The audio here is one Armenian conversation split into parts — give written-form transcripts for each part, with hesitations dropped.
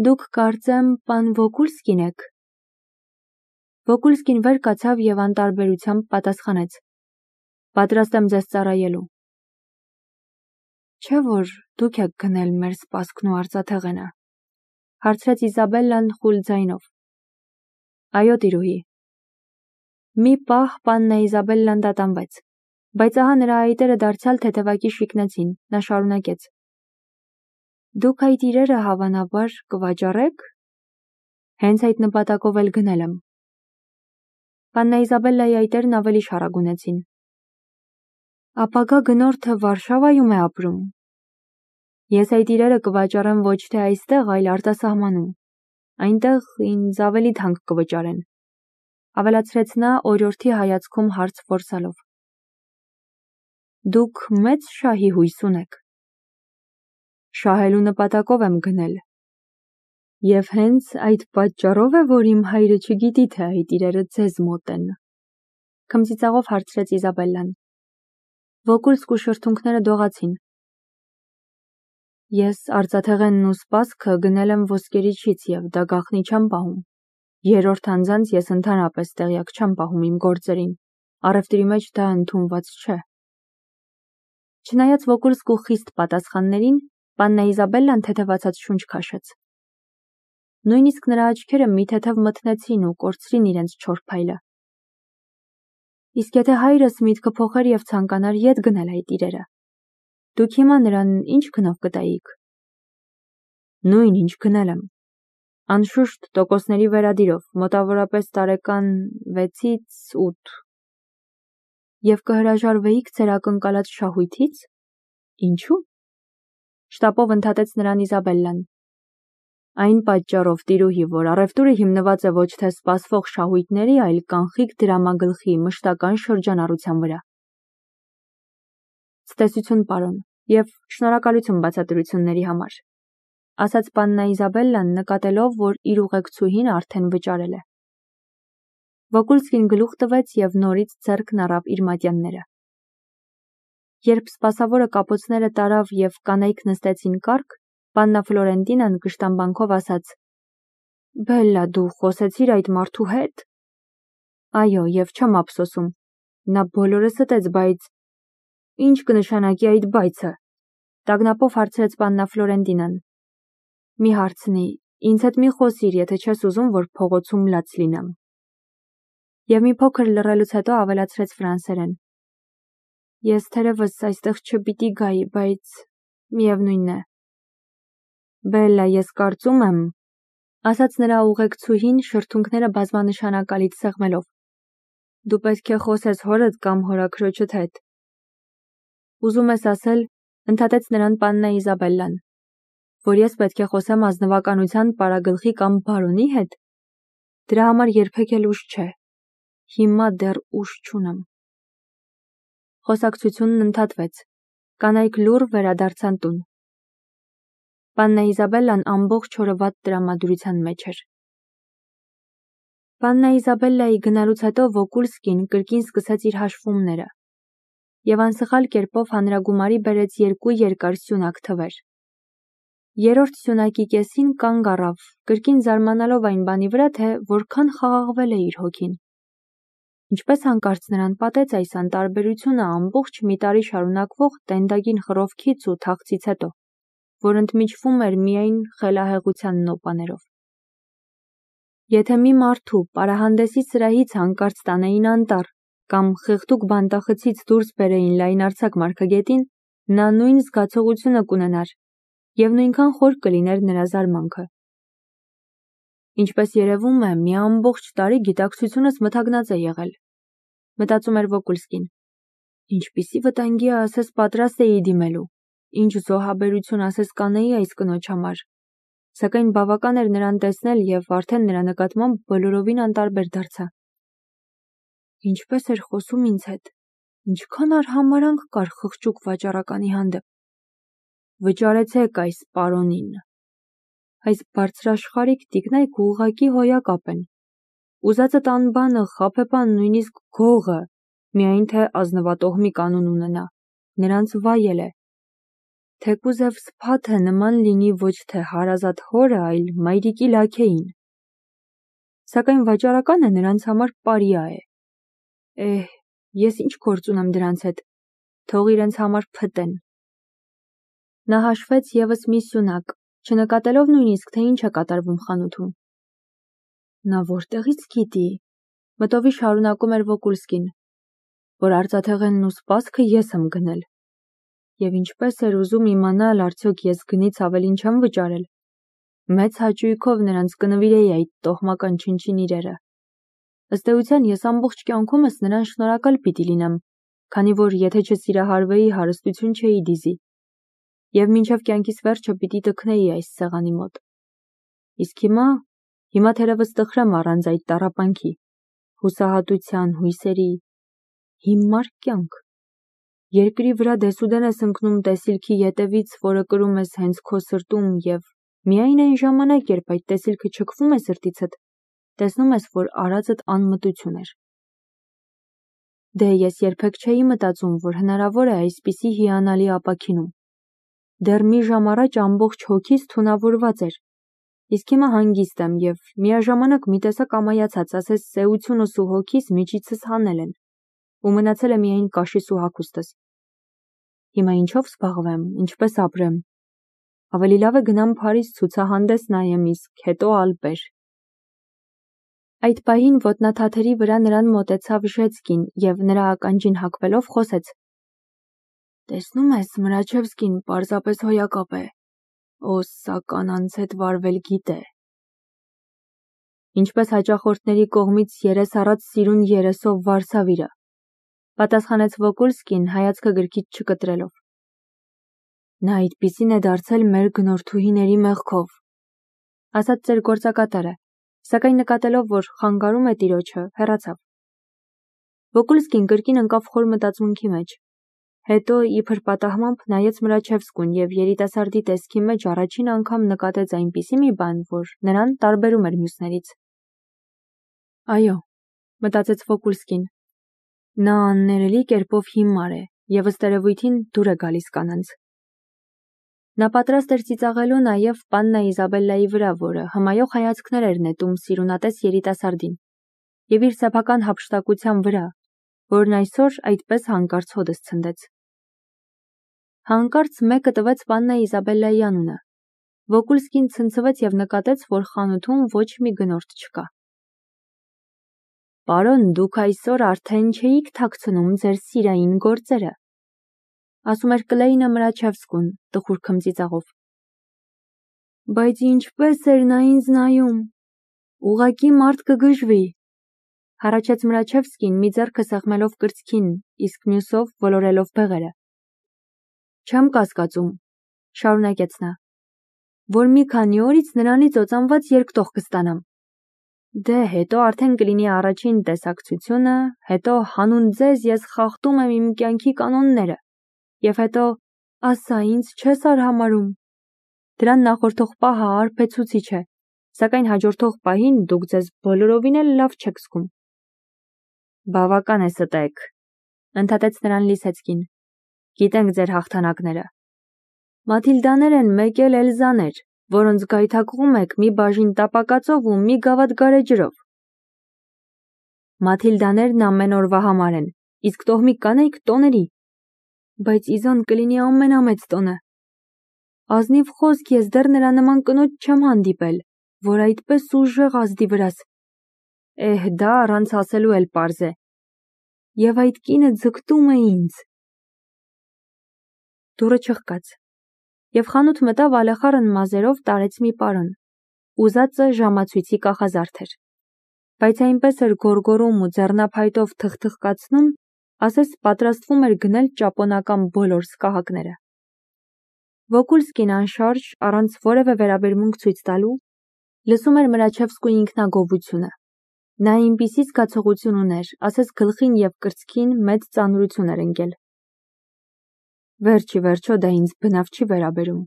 Դուք կարծեմ պան Վոկուլսկին եք։ Վոկուլսկին վեր կացավ և անտարբերությամբ պատասխանեց. Պատրաստ եմ ձեզ ծառայելու։ Չէ՞ որ դուք եք գնել մեր սպասքն ու արծաթեղենը, հարցրեց Իզաբելլան խուլ ձայնով։ Այո, տիրուհի։ Մի պահ պաննա Իզաբելլան տատանվեց, բայց ահա նրա այտերը դարձյալ թեթևակի շիկնեցին, նա շարունակեց. Դուք այդ իրերը հավանաբար կվաճառեք։ Հենց այդ նպատակով էլ գնել եմ։ Պաննա Իզաբելլայի այտերն ավելի շարագունեցին։ Ապագա գնորդը Վարշավայում է ապրում։ Ես այդ իրերը կվաճառեմ ոչ թե այստեղ, այլ արտասահմանում։ Այնտեղ ինձ ավելի թանկ կվճարեն, ավելացրեց նա օրիորդի հայացքում հարց որսալով։ Դուք մեծ շահի հույս ունեք։ Շահելու նպատակով եմ գնել։ Եվ հենց այդ պատճառով է, որ իմ հայրը չգիտի, թե այդ իրերը ձեզ մոտ են, քմծիծաղով հարցրեց Իզաբելլան։ Վոկուլսկու շրթունքները դողացին։ Ես արծաթեղենն ու սպասքը գնել եմ ոսկերիչից և դա գաղտնի չեմ պահում։ Երրորդ անձանց ես ընդհանրապես տեղյակ չեմ պահում իմ գործերին, առևտրի մեջ դա ընդունված չէ։ Չնայած Վոկուլսկու խիստ պատասխաններին, պաննա Իզաբելլան թեթևացած շունչ քաշեց։ Նույնիսկ նրա աչքերը մի թեթև մթնեցին ու կորցրին իրենց չոր փայլը։ Իսկ եթե հայրս միտքը փոխեր և ցանկանար ետ գնել այդ իրերը, դուք հիմա նրան ինչ գնով կտայիք։ Նույն ինչ գնել եմ։ Անշուշտ տոկոսների վերադիրով, մոտավորապես տարեկան 6-ից 8։ Եվ կհրաժարվեիք ձեր ակնկալած շահույթից։ Ինչու՞։ Շտապով ընդհատեց նրան Իզաբելլան։ Այն պատճառով, տիրուհի, որ առևտուրը հիմնված է ոչ թե սպասվող շահույթների, այլ կանխիկ դրամագլխի մշտական շրջանառության վրա։ Ցտեսություն, պարոն, և շնորհակալություն բացատրությունների համար, ասաց պաննա Իզաբելլան, նկատելով, որ իր ուղեկցուհին արդեն վճարել է։ Վոկուլսկին գլուխ տվեց և նորից ձեռքն առավ իր մատյանները։ Երբ սպասավորը կապոցները տարավ և կանայք նստեցին կառք, պաննա Ֆլորենտինան կշտամբանքով ասաց. Բելլա, դու խոսեցիր այդ մարդու հետ։ Այո, և չեմ ափսոսում։ Նա բոլորը ստեց, բայց… Ինչ կնշանակի այդ բայցը։ Տագնապով հարցրեց պաննա Ֆլորենտինան։ Մի հարցնի, ինձ հետ մի խոսիր, եթե չես ուզում, որ փողոցում լաց լինեմ։ Եվ մի փոքր լռելուց հետո ավելացրեց ֆրանսերեն. Ես թերևս այստեղ չպիտի գայի, բայց միևնույն է։ Բելլա, ես կարծում եմ, ասաց նրա ուղեկցուհին շրթունքները բազմանշանակալից սեղմելով. Դու պետք է խոսես հորդ կամ հորաքրոջդ հետ։ Ուզում ես ասել, ընդհատեց նրան պաննա Իզաբելլան, որ ես պետք է խոսեմ ազնվականության պարագլխի կամ բարոնի հետ։ Դրա համար երբեք էլ ուշ չէ։ Հիմա դեռ ուշ չունեմ։ Խոսակցությունն ընդհատվեց։ Կանայք լուռ վերադարձան տուն։ Պաննա Իզաբելլան ամբողջ օրը վատ տրամադրության մեջ էր։ Պաննա Իզաբելլայի գնալուց հետո Վոկուլսկին կրկին սկսեց իր հաշվումները և անսխալ կերպով հանրագումարի բերեց 2 երկար սյունակ թվեր։ Երրորդ սյունակի կեսին կանգ առավ, կրկին զարմանալով այն բանի վրա, թե որքան խաղաղվել է իր հոգին։ Ինչպես հանկարծ նրան պատեց այս անտարբերությունը ամբողջ մի տարի շարունակվող տենդագին խռովքից ու թախծից հետո, որ ընդմիջվում էր միայն խելահեղության նոպաներով։ Եթե մի մարդու պարահանդեսի սրահից հանկարծ տանեին անտառ կամ խեղդուկ բանտախցից դուրս բերեին լայնարձակ մարգագետին, նա նույն զգացողությունը կունենար և նույնքան խոր կլիներ նրա զարմանքը։ Ինչպես երևում է, մի ամբողջ տարի գիտակցությունս մթագնած է եղել, մտածում էր Վոկուլսկին։ Ինչպիսի վտանգի ասես պատրաստ էի դիմելու, ինչ զոհաբերություն ասես կանեի այս կնոջ համար, սակայն բավական էր նրան տեսնել և արդեն նրա նկատմամբ բոլորովին անտարբեր դարձա։ Ինչպես էր խոսում ինձ հետ, ինչքան արհամարհանք կար խղճուկ վաճառականի հանդեպ։ Վճարեցեք այս պարոնին։ Այս բարձրաշխարհիկ տիկնայք ուղղակի հոյակապ են։ Ուզածդ անբանը, խաբեբան, նույնիսկ գողը, միայն թե ազնվատոհմի կանուն ունենա, նրանց վայել է։ թեկուզև սփաթը նման լինի ոչ թե հարազատ հորը, այլ մայրիկի լաքեին։ Սակայն վաճառականը նրանց համար պարիա է։ Ես ինչ գործ ունեմ դրանց հետ, թող իրենց համար փտեն։ Նա հաշվեց ևս մի սյունակ, չնկատելով նույնիսկ, թե ինչ է կատարվում խանութում։ Նա որտեղից գիտի, մտովի շարունակում էր Վոկուլսկին, որ արծաթեղենն ու սպասքը ես եմ գնել։ Եվ ինչպես էր ուզում իմանալ, արդյոք ես գնից ավելին չեմ վճարել։ Մեծ հաճույքով նրանց կնվիրեի այդ տոհմական չնչին իրերը։ Ըստ էության ես ամբողջ կյանքումս նրան շնորհակալ պիտի լինեմ, քանի որ եթե չսիրահարվեի, հարստություն չէի դիզի։ Եվ մինչև կյանքիս վերջը պիտի տքնեի այս սեղանի մոտ։ Իսկ հիմա թերևս տխրեմ առանց այդ տառապանքի, հուսահատության, հույսերի, հիմար կյանք։ Երկրի վրա դեսուդեն ես ընկնում տեսիլքի ետևից, որը կրում ես հենց քո սրտում, և միայն այն ժամանակ, երբ այդ տեսիլքը չքվում է սրտիցդ, տեսնում ես, որ արածդ անմտություն էր։ Դե ես երբեք չէի մտածում, որ հնարավոր է այսպիսի հիանալի ապաքինում։ Դեռ մի ժամ առաջ ամբողջ հոգիս թունավորված էր, իսկ հիմա հանգիստ եմ և միաժամանակ մի տեսակ ամայացած, ասես սեությունս ու հոգիս միջիցս հանել են, ու մնացել է միայն կաշիս ու հագուստս։ Հիմա ինչով զբաղվեմ, ինչպես ապրեմ։ Ավելի լավ է գնամ Փարիզ ցուցահանդես նայեմ, իսկ հետո Ալպեր։ Այդ պահին ոտնաթաթերի վրա նրան մոտեցավ Ժեցկին և նրա ականջին հագվելով խոսեց. Տեսնում ես, Մրաչևսկին պարզապես հոյակապ է, սա կանանց հետ վարվել գիտե։ Ինչպես հաճախորդների կողմից երես առած սիրուն երեսով Վարսավիրը, պատասխանեց Վոկուլսկին հայացքը գրքից չկտրելով։ Նա այդպիսին է դարձել մեր գնորդուհիների մեղքով, ասաց ծեր գործակատարը, սակայն նկատելով, որ խանգարում է տիրոջը, հեռացավ։ Վոկուլսկին կրկին ընկավ խոր մտածմունքի մեջ, հետո իբր պատահմամբ նայեց Մրաչևսկուն և երիտասարդի տեսքի մեջ առաջին անգամ նկատեց այնպիսի մի բան, որ նրան տարբերում էր մյուսներից։ Այո, մտածեց Վոկուլսկին, նա աններելի կերպով հիմար է և ըստ երևույթին դուր է գալիս կանանց։ Նա պատրաստ էր ծիծաղելու նաև պաննա Իզաբելլայի վրա, որը հմայող հայացքներ էր նետում սիրունատես երիտասարդին, և իր սեփական հափշտակության վրա, որն այսօր այդպես հանկարծ հոդս ցնդեց։ Հանկարծ մեկը տվեց պաննա Իզաբելլայի անունը։ Վոկուլսկին ցնցվեց և նկատեց, որ խանութում ոչ մի գնորդ չկա։ Պարոն, դուք այսօր արդեն չէիք թաքցնում ձեր սիրային գործերը, ասում էր Կլեյնը Մրաչևսկուն տխուր քմծիծաղով։ Բայց ինչպես էր նա ինձ նայում, ուղղակի մարդ կգժվի, հառաչեց Մրաչևսկին մի ձեռքը սեղմելով կրծքին, իսկ մյուսով ոլորելով բեղերը։ Չեմ կասկածում, շարունակեց նա, որ մի քանի օրից նրանից օծանված երկտող կստանամ։ Դե հետո արդեն կլինի առաջին տեսակցությունը, հետո հանուն ձեզ ես խախտում եմ իմ կյանքի կանոնները, և հետո ասա ինձ չես արհամարհում։ Դրան նախորդող պահը արբեցուցիչ է, սակայն հաջորդող պահին դուք ձեզ բոլորովին էլ լավ չեք զգում։ Բավական է ստեք, ընդհատեց նրան Լիսեցկին։ Գիտենք ձեր հաղթանակները։ Մաթիլդաներ են մեկ էլ Էլզաներ, որոնց գայթակղում եք մի բաժին տապակածով ու մի գավաթ գարեջրով։ Մաթիլդաներն ամեն օրվա համար են, իսկ տոհմիկ կանայք տոների։ Բայց իզոն կլինի ամենամեծ տոնը։ Ազնիվ խոսք ես դեռ նրա նման կնոջ չեմ հանդիպել, որ այդպես ուժեղ ազդի վրաս։ Դա առանց ասելու էլ պարզ է։ Եվ այդ կինը ձգտում է ինձ։ Դուռը չխկաց, և խանութ մտավ ալեխառն մազերով տարեց մի պարոն, ուզածը ժամացույցի կախազարդ էր, բայց այնպես էր գոռգոռում ու ձեռնափայտով թխթխկացնում, ասես պատրաստվում էր գնել ճապոնական բոլոր սկահակները։ Վոկուլսկին անշարժ, առանց որևէ վերաբերմունք ցույց տալու, լսում էր Մրաչևսկու ինքնագովությունը։ Նա այնպիսի զգացողություն ուներ, ասես գլխին և կրծքին մեծ ծանրություն էր ընկել։ Վերջ ի վերջո դա ինձ բնավ չի վերաբերում,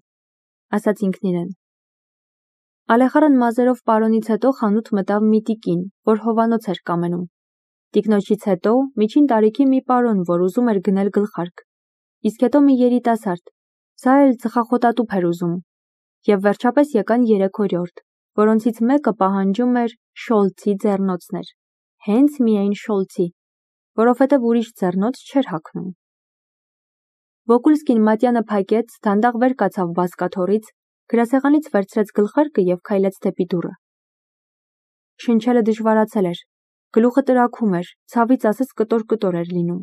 ասաց ինքն իրեն։ Ալեխառն մազերով պարոնից հետո խանութ մտավ մի տիկին, որ հովանոց էր կամենում։ Տիկնոջից հետո միջին տարիքի մի պարոն, որ ուզում էր գնել գլխարկ, իսկ հետո մի երիտասարդ, Սա էլ ծխախոտատուփ էր ուզում, և վերջապես եկան 3 օրիորդ, որոնցից մեկը պահանջում էր Շոլցի ձեռնոցներ, հենց միայն Շոլցի, որովհետև ուրիշ ձեռնոց չէր հագնում։ Վոկուլսկին մատյանը փակեց, դանդաղ վեր կացավ բազկաթոռից, գրասեղանից վերցրեց գլխարկը և քայլեց դեպի դուռը։ Շնչելը դժվարացել էր, գլուխը տրաքում էր, ցավից ասես կտոր-կտոր էր լինում։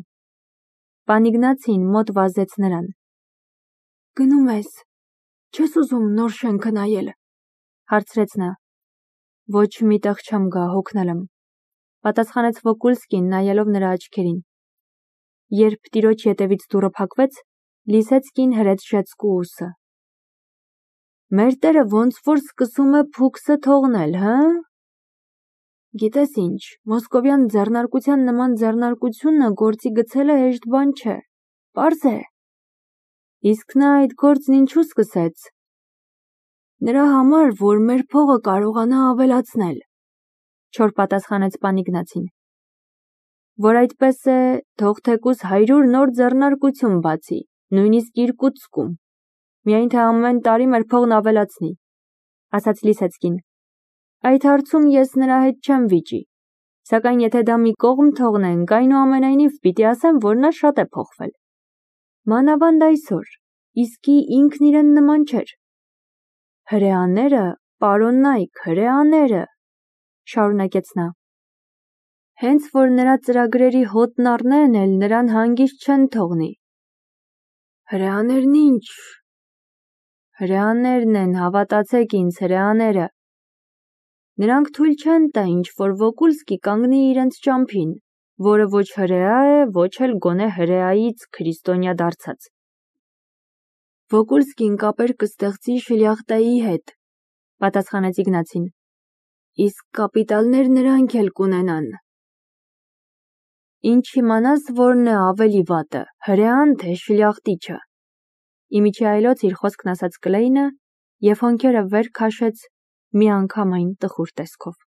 Պան Իգնացին մոտ վազեց նրան։ «Գնում ես, չես ուզում նոր շենքը նայել», հարցրեց նա։ «Ոչ մի տեղ չեմ գա, հոգնել եմ», պատասխանեց Վոկուլսկին, նայելով նրա աչքերին։ Երբ տիրոջ ետևից դուռը փակվեց, Լիսեցկին հրեց ժեցկու ուսը։ «Մեր տերը ոնց որ սկսում է փուքսը թողնել, հը՞։ Գիտես ինչ, մոսկովյան ձեռնարկության նման ձեռնարկությունը գործի գցելը հեշտ բան չէ, պարզ է։ Իսկ նա այդ գործն ինչու սկսեց։ Նրա համար, որ մեր փողը կարողանա ավելացնել», չոր պատասխանեց պան Իգնացին։ «Որ այդպես է, թող թեկուզ 100 նոր ձեռնարկություն բացի, նույնիսկ Իրկուտսկում, միայն թե ամեն տարի մեր փողն ավելացնի», ասաց Լիսեցկին։ «Այդ հարցում ես նրա հետ չեմ վիճի, սակայն եթե դա մի կողմ թողնենք, այնուամենայնիվ պիտի ասեմ, որ նա շատ է փոխվել։ Մանավանդ այսօր, իսկի ինքն իրեն նման չէր։ Հրեաները, պարոն Նայք, հրեաները», շարունակեց նա։ «Հենց որ նրա ծրագրերի հոտն առնեն, էլ նրան հանգիստ չեն թողնի։ Հրեաներն ինչ։ Հրեաներն են, հավատացեք ինձ, հրեաները։ Նրանք թույլ չեն տա ինչ-որ Վոկուլսկի կանգնի իրենց ճամփին, որը ոչ հրեա է, ոչ էլ գոնե հրեայից քրիստոնյա դարձած։ Վոկուլսկին կապեր կստեղծի շլյախտայի հետ», պատասխանեց Իգնացին։ «Իսկ կապիտալներ նրանք էլ կունենան։ Ինչ իմանաս, որն է ավելի վատը, հրեան թե շլյախտիչը», իմիջիայլոց իր խոսքն ասաց Կլեյնը և հոնքերը վեր քաշեց միանգամայն տխուր տեսքով։